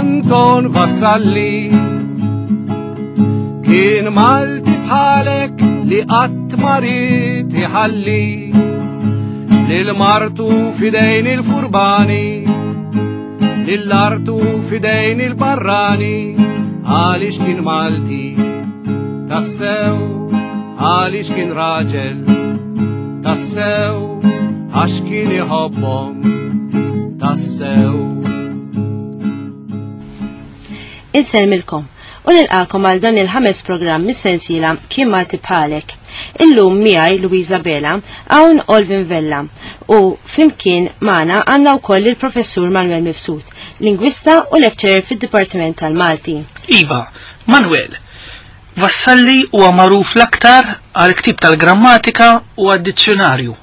Anton Vassalli kien Malti bħalek li qatt ma ried iħalli lil martu fidejn il-furbani lil artu fidejn il-barrani għaliex kien Malti tassew għaliex kien raġel tassew għax kien iħobbhom tassew. Insellmilkom u nilqakom għal dan il-ħames programm mis-sensiela Kien Malti Bħalek. Illum miegħi Luisa Bela hawn Olvin Vella u flimkien magħna għandna wkoll il-Professur Manuel Mifsud, lingwista u lecturer fid-Dipartiment tal-Malti. Iva, Manuel, Vassalli huwa magħruf l-aktar għall-ktieb tal-grammatika u għad-dizzjunarju.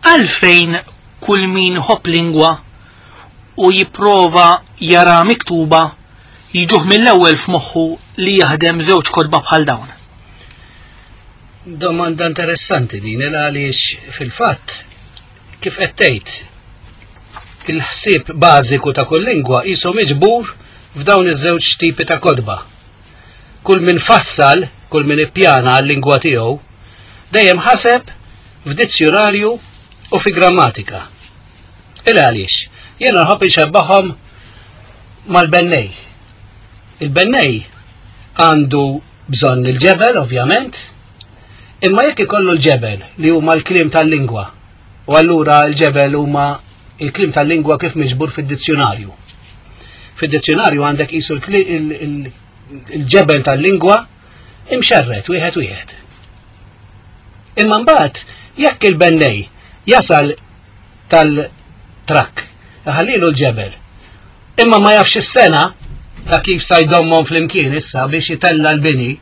Għalfejn kull min iħobb lingwa u jipprova jaraha miktuba jiġuh mill-ewwel f'moħħu li jaħdem żewġ kotba bħal dawn? Domanda interessanti din il għaliex fil-fatt kif qed tgħid il-ħsieb bażiku ta' kull lingwa qisu miġbur f'dawn iż-żewġ tipi ta' kotba. Kull min fassal, kull min ippjana għal-lingwa tiegħu, dejjem ħaseb f'dizzjunarju u fi grammatika. Il għaliex? Jiena nħobb inxebbahhom mal-bennej. Il-bennej għandu bżonn il-ġebel, ovvjament, imma jekk ikollu l-ġebel li huma l-kliem tal-lingwa, u allura l-ġebel huma il-kliem tal-lingwa kif miġbur fid-dizzjunarju. Fid-dizzjunarju għandek qisu il-ġebel tal-lingwa imxerred wieħed wieħed. Imma mbagħad jekk il-bennej jasal tal-trakk, iħallilu l-ġebel, imma ma jafx is-sena ta' kif sa jdommhom flimkien issa biex itella l-bini,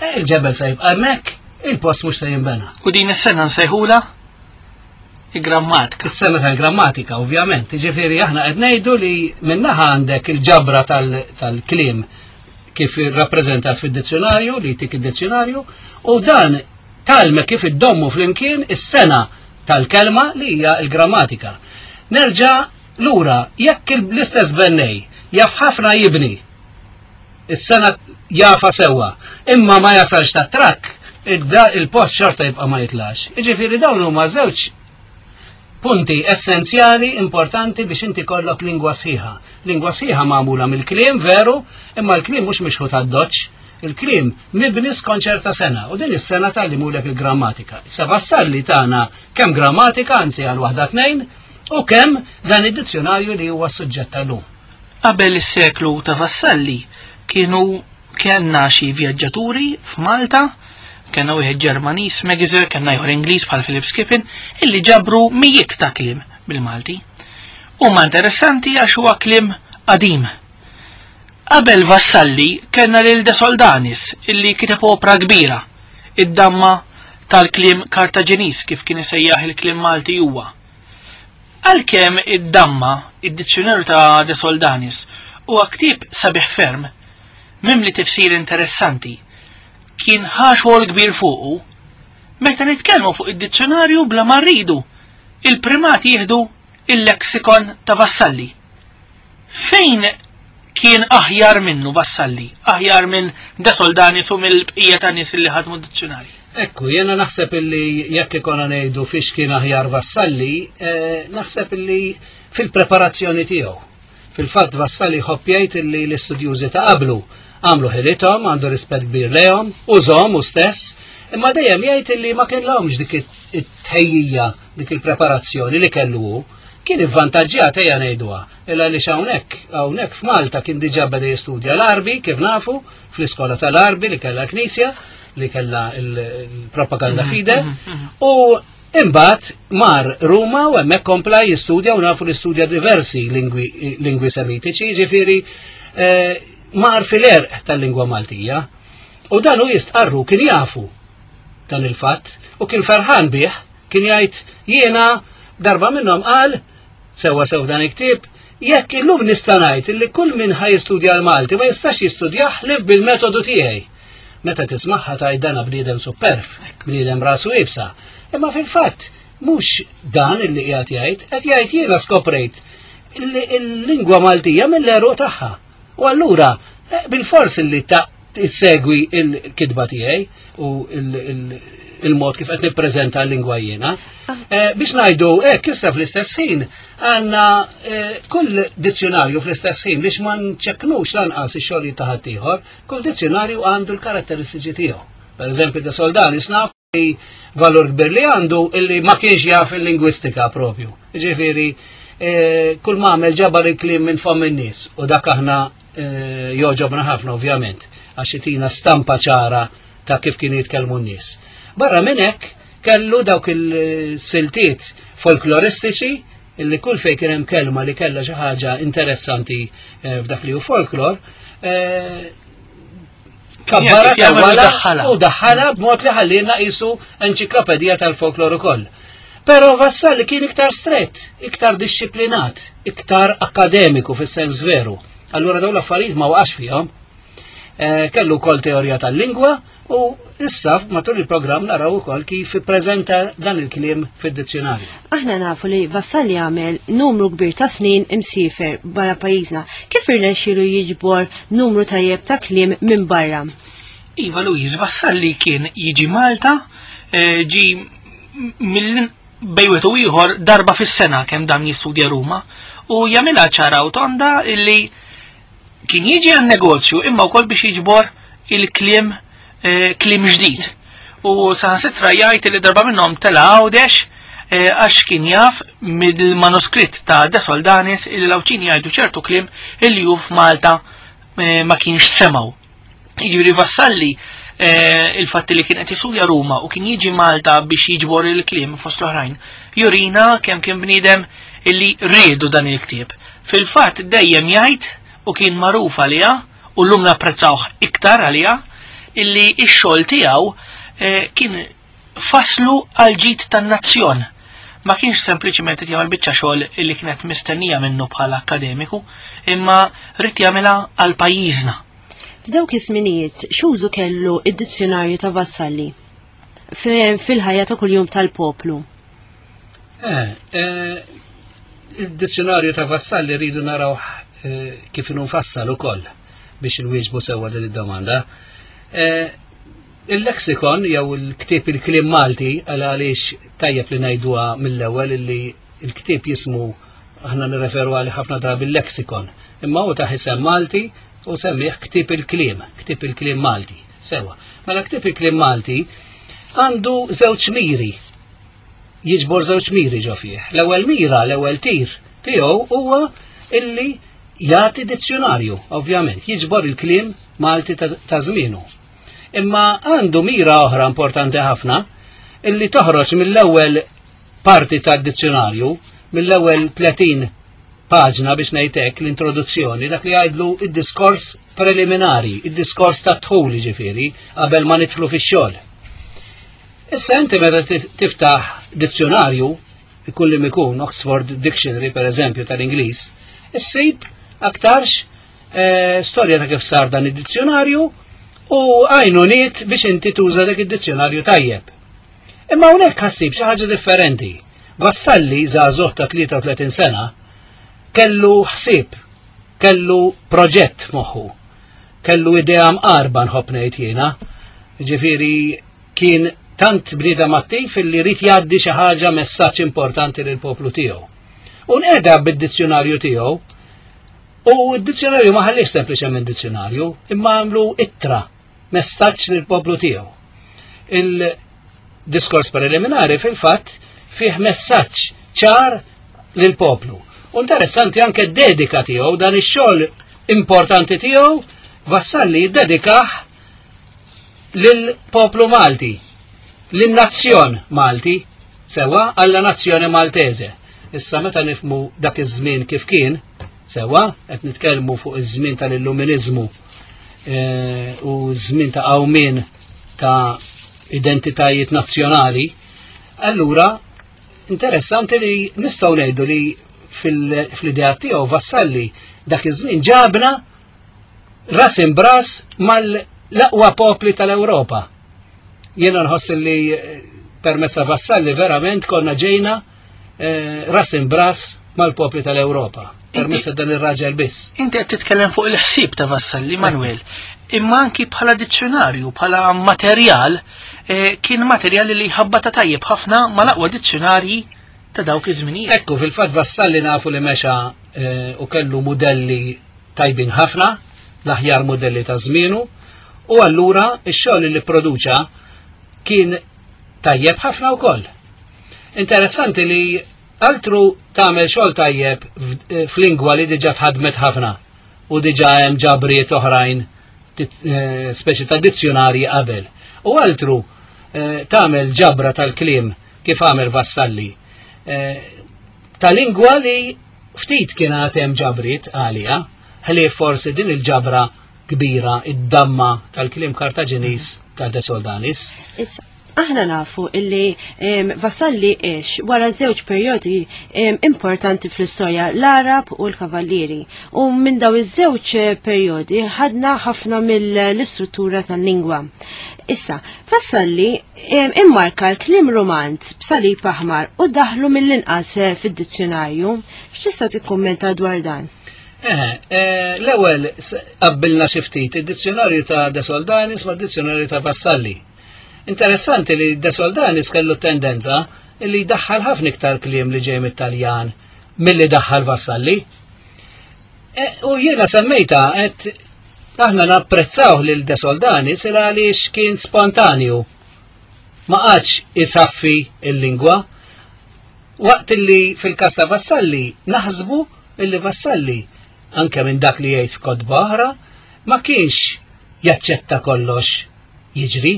eh, il-ġebel se jibqa' hemmhekk, il-post mhux se jinbena. U din is-sena nsejħula il-grammatika. Is-sena tal-grammatika, ovvjament. Ġifieri aħna qed ngħidu li minnaħa għandek il-ġabra tal-kliem kif rappreżentat fid-dizzjonarju, li jtik id-dizzjonarju, u dan talme kif iddommu flimkien is-sena tal-kelma li hija l-grammatika. Nerġa' lura, jekk l-istess bennej jaf ħafna jibni, is-sena jafa sewwa, imma ma jasalx ta' trakk, il-post xorta jibqa' ma jitlax. Jiġifieri dawn huma żewġ punti essenzjali importanti biex inti kollok lingwa sħiħa. Lingwa sħiħa magħmula mill-kliem veru, imma l-kliem mhux mixħut għad-doċċ, il-kliem mibni skont ċerta sena u din is-sena tgħallimulek il-grammatika. Issa Vassalli tagħna kemm grammatika, anzi għal waħda tnejn, u kemm dan id-dizzjonarju li huwa s-suġġett tal-lum. Qabel is-seklu ta' Vassalli kienu kellna xi vjaġġaturi f'Malta, kellna wieħed Ġermaniż Megiser, kellna ieħor Ingliż bħal Philip Skippin, illi ġabru mijiet ta' kliem bil-Malti. Huma interessanti għax huwa kliem qadim. Qabel Vassalli kellna lil De Soldanis illi kiteb opra kbira, id-damma tal-kliem Kartaġiniż kif kien isejjaħ il-kliem Malti huwa. Għalkemm id-Damma, id-dizzjunarju ta' De Soldanis, huwa ktieb sabiħ ferm, mimli tifsir interessanti, kien ħa xogħol kbir fuqu, meta nitkellmu fuq id-dizzjunarju bla ma rridu, il-primat jieħdu il-lexikon ta' Vassalli. Fejn kien aħjar minnu Vassalli, aħjar minn De Soldanis u mill-bqija ta' nies li ħadmu d-dizzjunarji? Ekku, jena naħseb illi jekk ikona ngħidu fiex kien aħjar Vassalli, eh, naħseb illi fil-preparazzjoni tiegħu. Fil-fatt Vassalli jħobb jgħid illi l-istudjużi ta' qablu għamlu ħilithom, għandu rispett kbir lejhom, użhom u stess, imma dejjem jgħid illi ma kellhomx dik it-tħejjija, dik il-preparazzjoni li kellu hu. Kien ivvantaġġjat ejja ngħiduha, illa għaliex hawnhekk, hawnhekk f'Malta kien diġà beda jistudja l-Għarbi kif nafu, fl-iskola tal-Għarbi li kellha l-Knisja, li kellha l-propaganda mhm, fide, mhm, mhm. u imbagħad mar Ruma u hemmhekk kompla jistudja u nafu li studja diversi lingwi, lingwi semitiċi, ġifieri eh, mar fil-erq tal-lingwa Maltija. U dan hu jistqarru kien jafu dan il-fatt u kien ferħan bih Kien jgħid jiena darba minnhom qal sewwa sew dan il-ktieb jekk illum nista' ngħid li kull min ħa jistudja l-Malti ma jistax jistudjah ħlief bil-metodu tiegħi. Meta tismagħha tgħid dana bniedem superf, bniedem rasu iebsa. Imma fil-fatt mhux dan illi qiegħed jgħid, qed jgħid jiena skoprejt. il-lingwa Maltija mill-għeruq tagħha. U allura eh, bil-fors li ta' tissegwi il-kitba tiegħi u il-mod kif qed nippreżenta l-lingwa jiena. Ah. Eh, biex ngħidu hekk issa fl-istess ħin għandna eh, kull dizzjonarju fl-istess ħin biex ma nċekknux lanqas ix-xogħol ta' ħaddieħor, kull dizzjonarju għandu l-karatteristiċi tiegħu. Per eżempju, de Soldanis naf li valur kbir li għandu illi ma kienx jaf il-lingwistika propju. Ġifieri, eh, kull ma għamel ġabar il-kliem minn fomm in-nies u dak aħna eh, joġobna ħafna ovvjament għax itina stampa ċara ta' kif kienu jitkellmu n-nies. Barra minn hekk kellu dawk il-siltiet folkloristiċi illi kull fejn kien hemm kelma li kellha xi ħaġa interessanti eh, f'dak li hu folklor, Kabbara tawwala u daħħala b'mod li ħallina qisu enċiklopedija tal-folklor ukoll. Però Vassalli kien iktar strett, iktar dixxiplinat, iktar akademiku fis-sens veru. Allura dawn l-affarijiet ma waqax fihom. Eh, kellu wkoll teorija tal-lingwa u issa matul il-programm naraw ukoll kif ippreżenta dan il-kliem fid-dizzjonarju. Aħna nafu li Vassalli għamel numru kbir ta' snin imsiefer barra pajjiżna. Kif irnexxielu jiġbor numru tajjeb ta' kliem minn barra? Iva Louise, Vassalli kien jiġi Malta, eh, ġi mill bejwet u ieħor darba fis-sena kemm dam jistudja Ruma u jagħmilha ċara u tonda illi kien jiġi għan negozju imma wkoll biex jiġbor il-kliem eh, kliem ġdid. U saħansitra jgħid li darba minnhom tela Għawdex eh, għax kien jaf mill-manuskritt ta' De Soldanis il l-Għawdxin jgħidu ċertu kliem illi hu f'Malta eh, ma kienx semgħu. Jiġifieri Vassalli il-fatt li kien qed jistudja Ruma u kien jiġi Malta biex jiġbor il-kliem fost l-oħrajn, jurina kemm kien bniedem illi riedu dan il-ktieb. Fil-fatt dejjem jgħid u kien magħruf għaliha u llum napprezzawh iktar għaliha illi x-xogħol tiegħu eh, kien faslu għal ġid tan-nazzjon. Ma kienx sempliċiment qed jagħmel biċċa xogħol illi kienet mistennija minnu bħala akkademiku, imma rrid jagħmilha għal pajjiżna. F'dawk iż-żminijiet x'użu kellu id-dizzjonarju ta' Vassalli fil-ħajja ta' kuljum tal-poplu? Eh, eh, il-dizzjonarju ta' Vassalli rridu naraw eh, kif inhu mfassal ukoll biex inwieġbu sewwa din id-domanda. Eh, il-lexikon jew il-ktieb il-kliem Malti għal għaliex tajjeb li ngħiduha mill-ewwel illi il-ktieb jismu aħna nirreferu għalih ħafna drabi il-lexikon. Imma hu ta' isem Malti u semmih ktieb il-kliem, ktieb il-kliem Malti. Sewa. Mela ktieb il-kliem Malti għandu żewġ miri jiġbor żewġ miri ġo fih. L-ewwel mira, l-ewwel tir tiegħu huwa illi jagħti dizzjonarju, ovvjament, jiġbor il-kliem Malti ta' żmienu. Imma għandu mira oħra importanti ħafna illi toħroġ mill-ewwel parti tad-dizzjonarju, mill-ewwel 30 paġna biex ngħidlek l-introduzzjoni, dak li jgħidlu id-diskors preliminari, id-diskors tat-dħul ġifieri qabel ma nidħlu fix-xogħol. Issa inti meta tiftaħ dizzjonarju, ikun li mikun Oxford Dictionary per eżempju tal-Ingliż, issib aktarx eh, storja ta' kif sar dan id-dizzjonarju u għajnuniet biex inti tuża dak id-dizzjonarju tajjeb. Imma hawnhekk ħassib xi ħaġa differenti. Vassalli żagħżugħ ta' 33 sena kellu ħsieb, kellu proġett f'moħħu, kellu idea mqarba nħobb ngħid jiena. Ġifieri kien tant bniedem attiv illi rid jgħaddi xi ħaġa messaġġ importanti lil poplu tiegħu. U nqeda bid-dizzjonarju tiegħu u d-dizzjonarju ma ħallix sempliċement dizzjonarju, imma għamlu ittra, messaġġ lil poplu tiegħu. Il-diskors preliminari fil-fatt fih messaġġ ċar lil poplu. U interessanti anke dedika tiegħu dan ix-xogħol importanti tiegħu Vassalli jiddedikah lill-poplu Malti, lin-nazzjon Malti, sewa alla nazzjoni Maltese. Issa meta nifmu dak iż-żmien kif kien, sewa qed nitkellmu fuq iż-żmien tal-illuminiżmu eh, u żmien ta' qawmien ta' identitajiet nazzjonali, allura interessanti li nistgħu ngħidu li fil-idea tiegħu Vassalli dak iż-żmien ġabna ras imbras mal-aqwa popli tal-Ewropa. Jiena nħoss li eh, permezz ta' Vassalli verament konna ġejna eh, ras imbras mal-popli tal-Ewropa. permezz ta' dan ir-raġel biss. Inti qed titkellem fuq il-ħsieb ta' Vassalli Manuel, imma anki bħala dizzjonarju, bħala materjal, eh, kien materjal li ħabbata tajjeb ħafna mal-aqwa dizzjonarji ta' dawk iż-żminijiet. Ekku, fil-fatt Vassalli nafu li mexa eh, u kellu mudelli tajbin ħafna, l-aħjar mudelli ta' żmienu, u allura x-xogħol li produċa kien tajjeb ħafna wkoll. Interessanti li altru tagħmel xogħol tajjeb eh, f'lingwa li diġà tħadmet ħafna u diġà hemm ġabriet oħrajn eh, speċi ta' dizzjonarji qabel. U altru eh, tagħmel ġabra tal-kliem kif għamel Vassalli. Ta' lingwa li ftit kien għad hemm ġabriet għalija, ħlief forsi din il-ġabra kbira id-damma tal-kliem Kartaġiniż ta' De Soldanis. Issa, aħna nafu illi Vassalli ix wara żewġ perjodi importanti fl-istorja, l-Arab u l-Kavallieri. U minn daw iż-żewġ eh, perjodi ħadna ħafna mill-istruttura tal-lingwa. Issa, Vassalli immarka l-kliem romanz b'salib aħmar u daħlu mill-inqas eh, fid-dizzjonarju. X'tista' tikkummenta dwar dan? Eh, eh, l-ewwel qabbilna xi ftit id-dizzjonarju ta' De Soldanis ma' dizzjonarju ta' Vassalli. Interessanti li De Soldanis kellu tendenza li jdaħħal ħafna iktar kliem li ġej mit-Taljan milli daħħal Vassalli. Eh, u jiena semmejta qed aħna napprezzaw lil De Soldanis il għaliex kien spontanju. Ma qatx isaffi il-lingwa. Waqt li fil-każ ta' Vassalli naħsbu illi Vassalli, anke minn dak li jgħid f'kotba oħra, ma kienx jaċċetta kollox jiġri.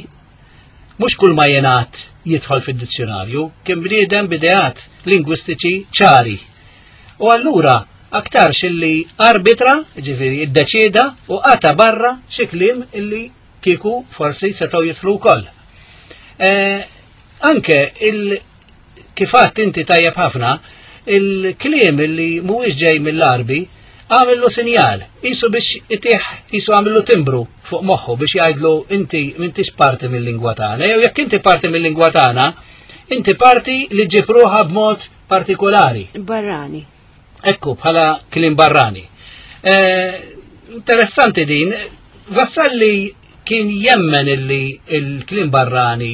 Mhux kull ma jingħad jidħol fid-dizzjonarju, kien bniedem b'ideat lingwistiċi ċari. U allura aktarx illi arbitra, ġifieri iddeċieda u qata barra xi kliem illi kieku forsi setgħu jidħlu wkoll. Eh, anke il Kif għadt inti tajjeb ħafna, il-kliem li mhuwiex ġej mill-Għarbi għamillu sinjal, qisu biex itih, qisu għamillu timbru fuq moħħu biex jgħidlu inti m'intix parti mill-lingwa tagħna, jew jekk inti parti mill-lingwa tagħna, inti parti li ġib ruħha b'mod partikolari. Barrani. Ekku, bħala kliem barrani. Eh, interessanti din, Vassalli kien jemmen illi il-kliem barrani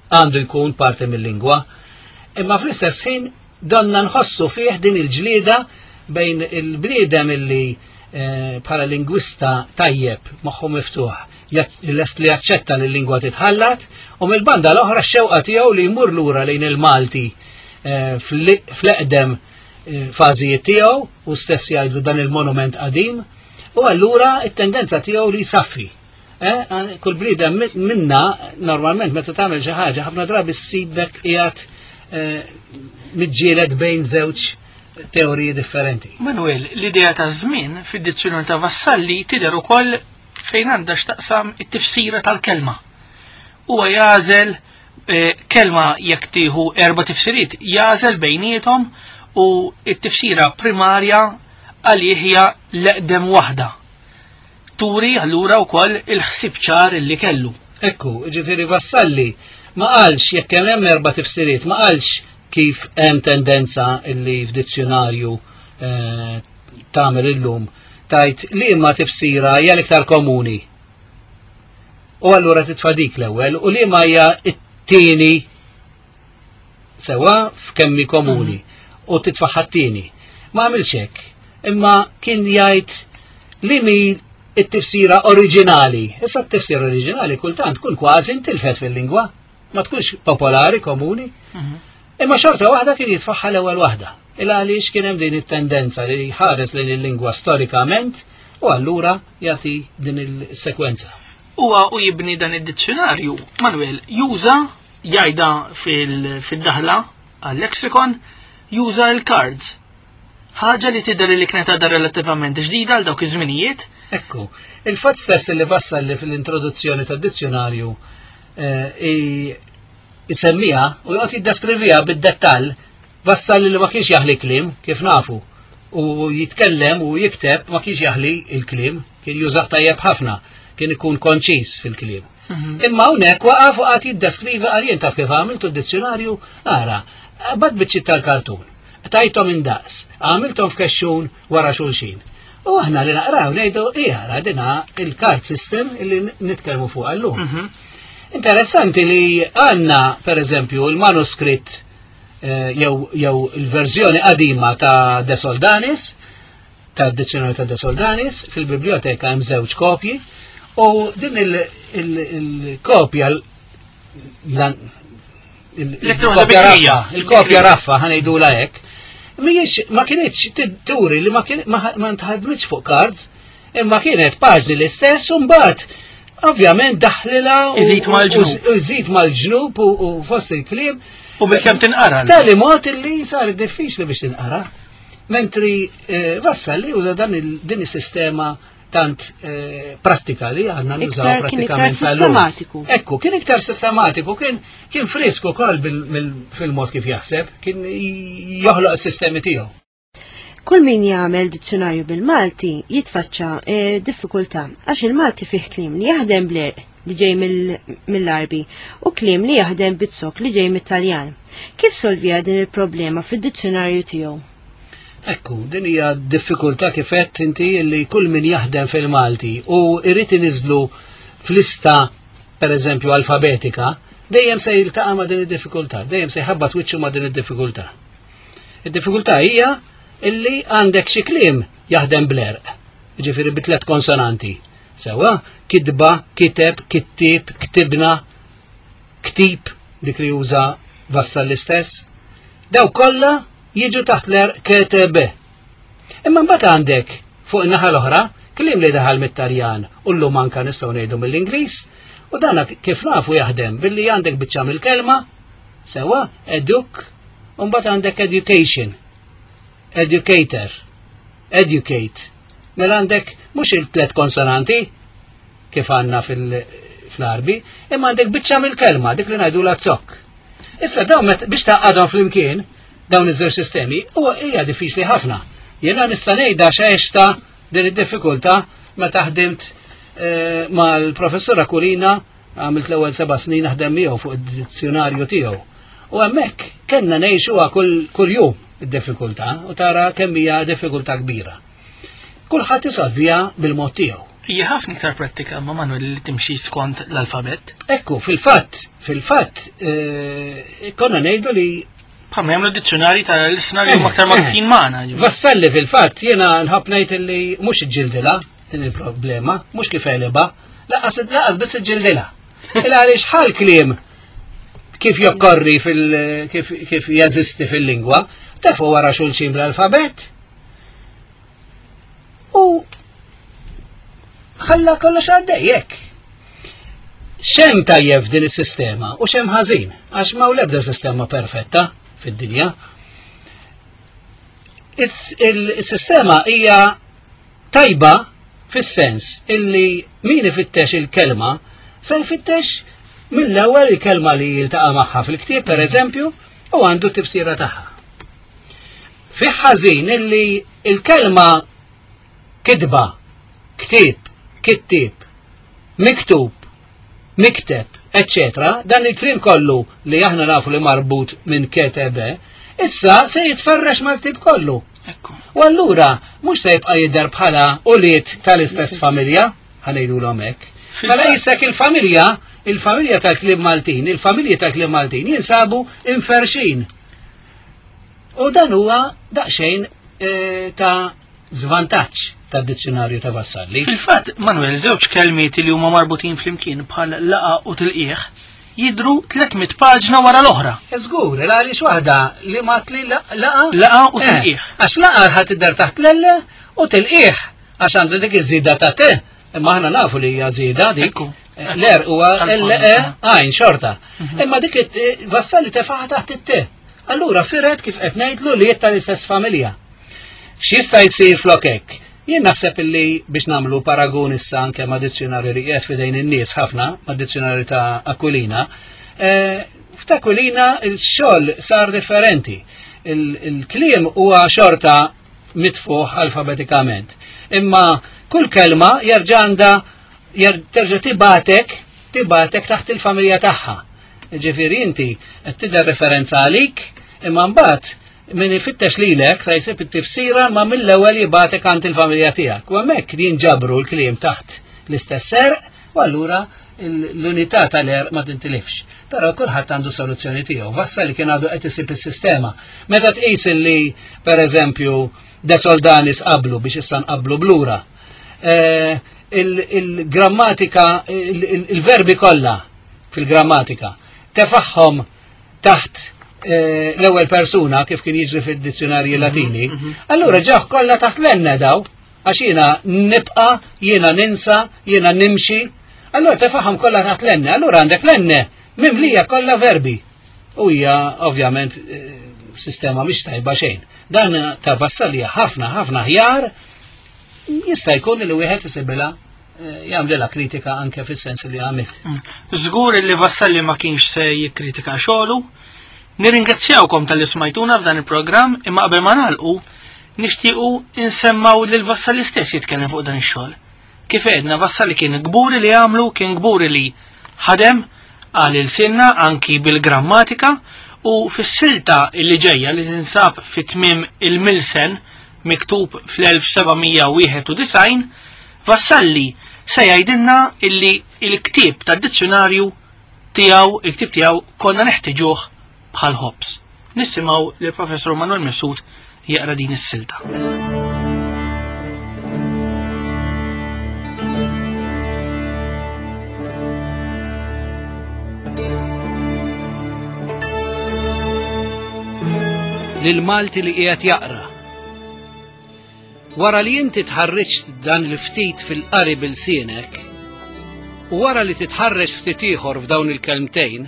għandu jkun parti mill-lingwa, imma fl-istess ħin donna nħossu fih din il-ġlieda bejn il-bniedem illi eh, bħala lingwista tajjeb, moħħu miftuħ, lest li jaċċetta li l-lingwa titħallat, u mill-banda l-oħra x-xewqa tiegħu li jmur lura lejn il-Malti eh, fl-eqdem eh, fażijiet tiegħu u stess jgħidlu dan il-monument qadim, u allura it-tendenza tiegħu li jsaffi. Eh, kull bniedem minna normalment meta tagħmel xi ħaġa ħafna drabi ssibek qiegħed eh, miġġieled bejn żewġ teoriji differenti. Manuel, l-idea ta' żmien fid-dizzjonarju ta' Vassalli tidher ukoll fejn għandha x'taqsam it-tifsira tal-kelma. Huwa jagħżel eh, kelma jekk tieħu erba' tifsiriet, jagħżel bejniethom u t-tifsira primarja għalih hija l-eqdem waħda. Turi allura wkoll il-ħsieb ċar li kellu. Ekku, ġifieri Vassalli ma qalx jekk hemm hemm erba' tifsiriet, ma qalx kif hemm tendenza illi f'dizzjonarju eh, tagħmel illum tajt li imma tifsira hija l-iktar komuni. U allura titfa' dik l-ewwel u li ma hija t-tieni Sewwa f'kemmi komuni u titfa' ħadd-tieni. Ma għamilx hekk, imma kien jgħid li mi it-tifsira oriġinali. Issa t-tifsira oriġinali kultant tkun kważi ntilfet fil-lingwa, ma tkunx popolari komuni. Mhm. Imma xorta waħda kien jitfaħħa l-ewwel waħda. Il għaliex kien hemm din it-tendenza li jħares lejn il-lingwa storikament u allura jagħti din il-sekwenza. Huwa u jibni dan id-dizzjonarju, Manuel juża jgħidha fil-daħla għal-lexicon, juża l-cards. Ħaġa li tidher li kienet għadha relattivament ġdida għal dawk iż-żminijiet. Ekku, il-fatt stess li wassal li fil-introduzzjoni tad-dizzjonarju eh, isemmiha u joqgħod jiddeskriviha bid-dettall, wassal li ma kienx jaħli kliem, kif nafu, u jitkellem u jikteb ma kienx jaħli il-kliem, kien jużah tajjeb ħafna, kien ikun konċis fil-kliem. Mhm. Imma hawnhekk waqaf u qagħad jiddeskrivi għal jien taf kif għamiltu d-dizzjonarju, ara, bad biċċiet tal-kartun. Tajthom indaqs, għamilthom f'kexxun wara xulxin. U aħna li naqraw ngħidu ijara dina il-card system li nitkellmu fuq llum. Interessanti li għandna per eżempju il-manuskritt jew il-verżjoni qadima ta' De Soldanis, ta' dizzjonarju ta' De Soldanis, fil-biblioteka hemm żewġ kopji, u din il-kopja il-kopja raffa ħa ngħidulha hekk, mhijiex ma kinitx turi li ma ntħadmitx fuq cards, imma kienet paġni l-istess u mbagħad ovvjament daħlilha u Iżid mal-ġnub. u iżid mal-ġnub u fost il-kliem. U bil-kemm tinqara. Tali mod illi sar diffiċli biex tinqara. Mentri Vassalli uża din is-sistema tant prattika li għandna nużaw Iktar kien iktar prattikament sal-lum. sistematiku. Ekku, kien iktar sistematiku, kien frisku ukoll fil-mod kif jaħseb, kien joħloq is-sistemi tiegħu. Kull min jagħmel dizzjonarju bil-Malti jitfaċċa diffikultà għax il-Malti fih kliem li jaħdem bl-għerq li ġej mill-Għarbi u kliem li jaħdem bit-zokk li ġej mit-Taljan. Kif solvija din il-problema fid-dizzjonarju tiegħu? Ekku, din hija diffikultà kif għedt inti li kull min jaħdem fil-Malti u jrid iniżlu f'lista per eżempju alfabetika, dejjem se jiltaqa' ma' din id-diffikultà, dejjem se jħabbat wiċċu ma' din id-diffikultà. Id-diffikultà hija illi għandek xi kliem jaħdem bl-għerq, jiġifieri bi tliet konsonanti. Sewwa, kitba, kiteb, kittieb, ktibna, ktib, dik li juża Vassalli l-istess. Daw kollha jiġu taħt l-għerq KTB. Imma mbagħad għandek fuq in-naħa l-oħra kliem li daħal mit-Taljan u llum anka nistgħu ngħidu mill-Ingliż, u dan kif nafu jaħdem billi għandek biċċa mill-kelma, sewwa, eduk, u mbagħad għandek education, educator, educate. Mela għandek mhux il-tliet konsonanti kif għandna fl-Għarbi, imma għandek biċċa mill-kelma, dik li ngħidu la zokk. Issa dawn biex taqgħadhom flimkien dawn iż-żewġ sistemi huwa hija diffiċli ħafna. Jiena nista' ngħidha x'għexta din id-diffikultà meta ħdimt mal-professur Aquilina, għamilt l-ewwel 7 snin naħdem miegħu fuq id-dizzjonarju tiegħu. U hemmhekk kellna ngħixuha kull jum id-diffikultà u tara kemm hija diffikultà kbira. Kulħadd isolviha bil-mod tiegħu. Hija ħafna iktar prattika ma Manuel li timxi skont l-alfabett. Ekku, fil-fatt konna ngħidu li Bħalma jagħmlu dizzjonari tal-isna li huma aktar magħrufin magħna, ġifieri. Vassalli fil-fatt jiena nħobb ngħid li mhux iġġildilha din il-problema, mhux kif għelibha, laqas biss iġġildilha. Il għaliex ħal kliem kif jokkorri kif jeżisti fil-lingwa, tafu wara xulxin bl-alfabett. U ħalla kollox għaddej hekk. Xem tajjeb din is-sistema u xem ħażin, għax ma l-ebda sistema perfetta fid-dinja. Il-sistema hija tajba fis-sens illi min ifittex il-kelma se jfittex mill-ewwel il-kelma li jiltaqa' magħha fil-ktieb, per eżempju, u għandu tifsira tagħha. Fih ħażin illi il-kelma kitba, ktieb, kittieb, miktub, mikteb, eccetera, dan il-kliem kollu li aħna nafu li marbut minn KTB, issa se jitferrex mal-ktieb kollu. U allura mhux se jibqa' jidher bħala ulied tal-istess familja, ħanejdu hekk. Mela jissek il-familja, il-familja tal-kliem Maltin, il-familji tal-kliem Maltin jinsabu inferxin. U dan huwa daqsxejn ta' żvantaġġ tad-dizzjonarju ta' Vassalli. Fil-fatt, Manuel, żewġ kelmiet li huma marbutin flimkien bħal laqa u tilqieħ jidru 300 paġna wara l-oħra. Żgur, għaliex waħda li ma tli laqa. Laqa u tilqieħ. Għax laqa ħadd tidher taħt l-L u tilqieħ għax għandu dik iż-żieda ta' T. Imma aħna nafu li hija żieda dik. L-R huwa L E għajn xorta. Imma dik Vassalli tefaħ taħt it-T. Allura firet kif qed ngħidlu li tal-istess familja. X'jista' jsir flok hekk? Jien naħseb illi biex nagħmlu paragun issa anke ma' dizzjonarju li qiegħed f'idejn in-nies ħafna, ma' dizzjonarju ta' Aquilina, f'ta' Aquilina il-xogħol sar differenti. Il-kliem huwa xorta mitfuħ alfabetikament. Imma kull kelma jerġa' għandha terġa' tibatek taħt il-familja tagħha. Ġifieri inti qed tidher referenza għalik, imma mbagħad Min ifittex lilek sa jsib it-tifsira ma mill-ewwel jibgħatek għand il-familja tiegħek. U hemmhekk jinġabru l-kliem taħt l-istess għerq u allura l-unità tal-għerq ma tintilifx. Però kulħadd għandu soluzzjoni tiegħu. Vassalli kien għadu qed isib is-sistema. Meta tqis li pereżempju De Soldanis qablu biex issa nqablu blura. Eh, il-grammatika, il-verbi kollha fil-grammatika tefaħħom taħt eh, l-ewwel persuna kif kien jiġri fid-dizzjonarji mhm, Latini, mhm. allura ġaħ kollha taħt l-enne daw, għax jiena nibqa, jiena ninsa, jiena nimxi, allura tefaħħom kollha taħt l-enne, allura għandek l-enne mimlija kollha verbi. U hija ovvjament eh, sistema mhix tajba xejn. Dan ta' vassalija ħafna ħafna ħjar jista' jkun li wieħed isibilha eh, jagħmlilha kritika anke fis-sens li għamilt. Mm. Żgur li Vassalli ma kienx se jikkritika xogħlu. Nirringrazzjawkom tal-li smajtuna f'dan il-programm imma qabel ma nagħlqu nixtiequ insemmaw lil Vassalli stess jitkellem fuq dan ix-xogħol. Kif għedna Vassalli kien kburi li għamlu, kien kburi li ħadem għal ilsienna anki bil-grammatika u fis-silta li ġejja li tinsab fi tmiem il-Milsen miktub fl-1791, Vassalli se jgħidilna illi il-ktieb tad-dizzjunarju tiegħu, il-ktieb tiegħu konna neħtiġuh bħal ħobż. Nisimgħu lill-Professur Manuel Mifsud jaqra din is-silta. Lil Malti li qiegħed jaqra. Wara li inti tħarriġt dan il-ftit fil-qari bil-sienek, u wara li titħarreġ ftit ieħor f'dawn il-kelmtejn,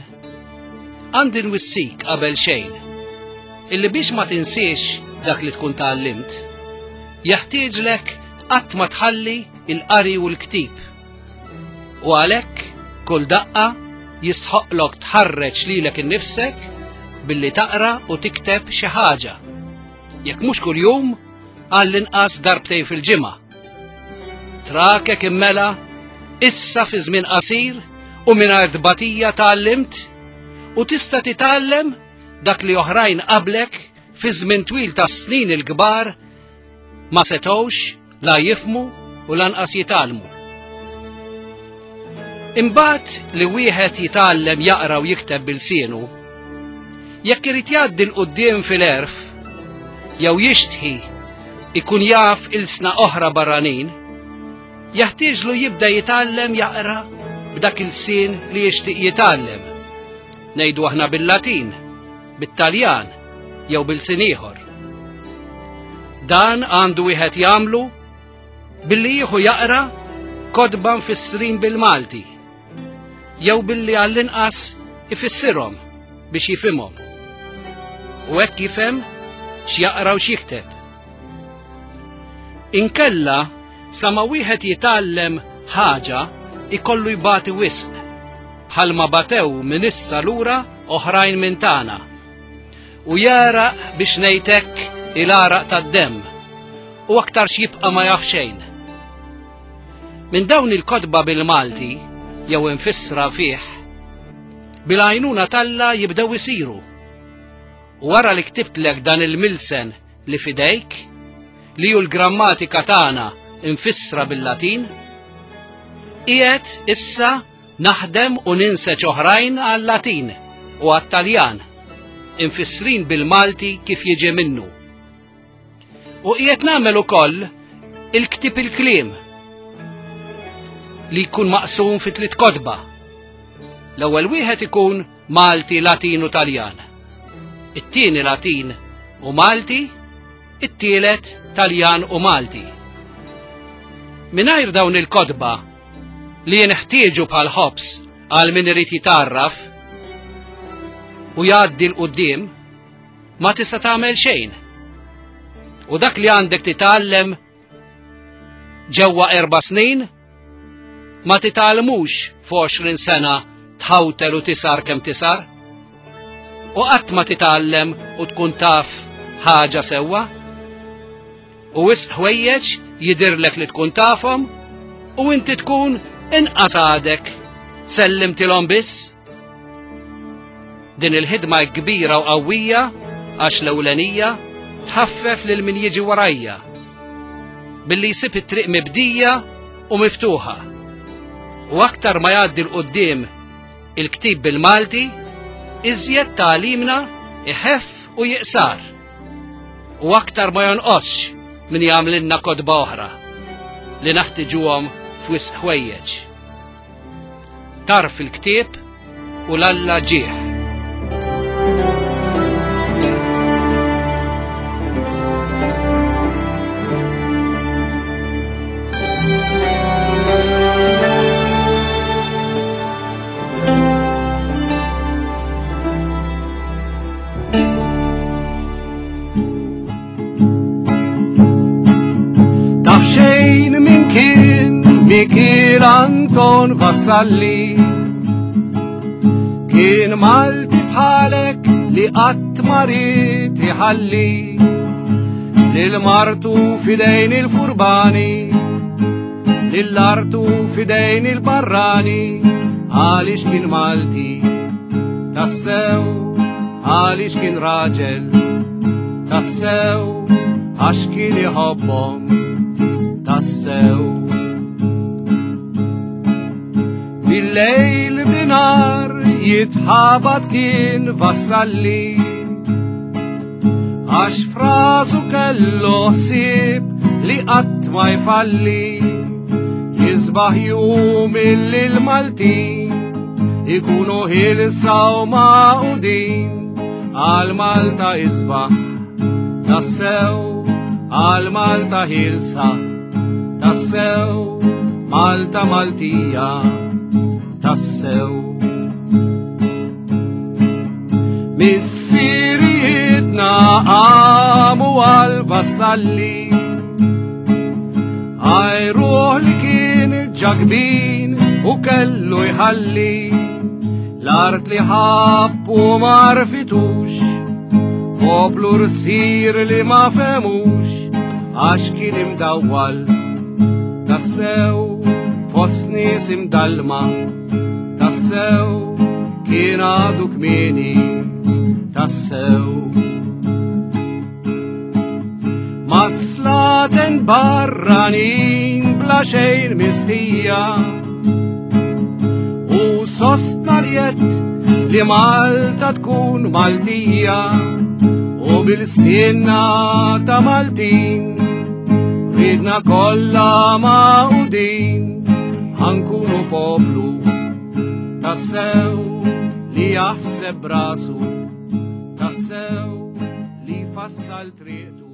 għandi nwissik qabel xejn, illi biex ma tinsiex dak li tkun tgħallimt, jeħtieġlek qatt ma tħalli il-qari u l-ktib. U għalhekk kull daqqa jistħoqqlok tħarreġ lilek innifsek billi taqra u tikteb xi ħaġa. Jekk mhux kuljum, għall-inqas darbtejn fil-ġimgħa. Trakek immela issa fi żmien qasir u mingħajr tbatija tgħallimt u tista' titgħallem dak li oħrajn qablek fi żmien twil ta' snin il-kbar ma setgħux la jifhmu u lanqas jitgħallmu. Imbagħad li wieħed jitgħallem jaqra u jikteb bilsienu, jekk irid jgħaddi 'l quddiem fil-għerf jew jixtħi ikun jaf ilsna oħra barranin, jeħtieġlu jibda jitgħallem jaqra b'dak il-sien li jixtieq jitgħallem. Ngħidu aħna bil-Latin, bit-Taljan jew bil-sin ieħor. Dan għandu wieħed jagħmlu billi jieħu jaqra kotba mfissrin bil-Malti jew billi għall-inqas ifissirhom biex jifhimhom. U hekk jifhem x'jaqra u x'jikteb. Inkella sa ma wieħed jitgħallem ħaġa ikollu jbati wisq bħalma batew minn issa lura oħrajn minn tagħna. U jagħraq biex ngħid hekk il-għaraq tad-demm u aktarx jibqa' ma jaf xejn. Minn dawn il-kotba bil-Malti jew imfissra fih, bil-għajnuna t'Alla jibdew isiru. U wara li ktibtlek dan il-milsen li f'idejk, li hu l-grammatika tagħna imfissra bil-Latin, qiegħed issa naħdem u ninseġ oħrajn għal-Latin u għat-Taljan, imfissrin bil-Malti kif jiġi minnu. U qiegħed nagħmel ukoll il-ktieb il-kliem li jkun maqsum fi tliet kotba. L-ewwel wieħed ikun Malti, Latin u Taljan. It-tieni Latin u Malti, it-tielet Taljan u Malti. Mingħajr dawn il-kotba li jinħtieġu bħal ħobż għal min irid jitgħarraf u jgħaddi 'l quddiem, ma tista' tagħmel xejn. U dak li għandek titgħallem ġewwa erba' snin ma titgħallmux f'20 sena tħawtel u tisar kemm tisar. U qatt ma titgħallem u tkun taf ħaġa sewwa. U wisq ħwejjeġ jidhirlek li tkun tafhom u inti tkun inqas għadek sellimtilhom biss. Din il-ħidma kbira u qawwija. Għax l-ewlenija tħaffef lil min jiġi warajja billi jsib it-triq mibdija u miftuħa. U aktar ma jgħaddi 'l quddiem il-ktib bil-Malti, iżjed tagħlimna iħeff u jiqsar. U aktar ma jonqosx min jagħmlilna kotba oħra li naħtiġuhom f'wisq ħwejjeġ. Tarf il-ktieb u l-Alla ġieħ. Taf xejn min kien Mikiel Anton Vassalli Kien Malti bħalek li qatt ma ried iħalli lil martu fidejn il-furbani Lill-artu fidejn il-barrani għaliex kien Malti tassew għaliex kien raġel tassew għax kien iħobbhom tassew. Bil-lejl binar jitħabat kien vassalli Għax frasu kellu ħsieb li qatt ma jfalli Jisbaħ jum illi l-Maltin ikunu ħilsa u magħqudin għal Malta isbaħ tassew għal Malta ħilsa tassew Malta Maltija tassew. Missirijietna qamu għal vassalli Għajruħ li kien ġakbin u kellu jħalli l-art li ħabb u ma rfitux poplu rsir li ma femux għax kien imdawwal tassew fost nies imdallma Tassew kien għadu kmieni tassew. Ma slaten barranin bla xejn mistija u sostna rjett li Malta tkun Maltija u bil-sinna ta' Maltin ridna kollha maqudin Ħankunu poplu tassew li jaħseb brasu, tassew li fassal triqtu.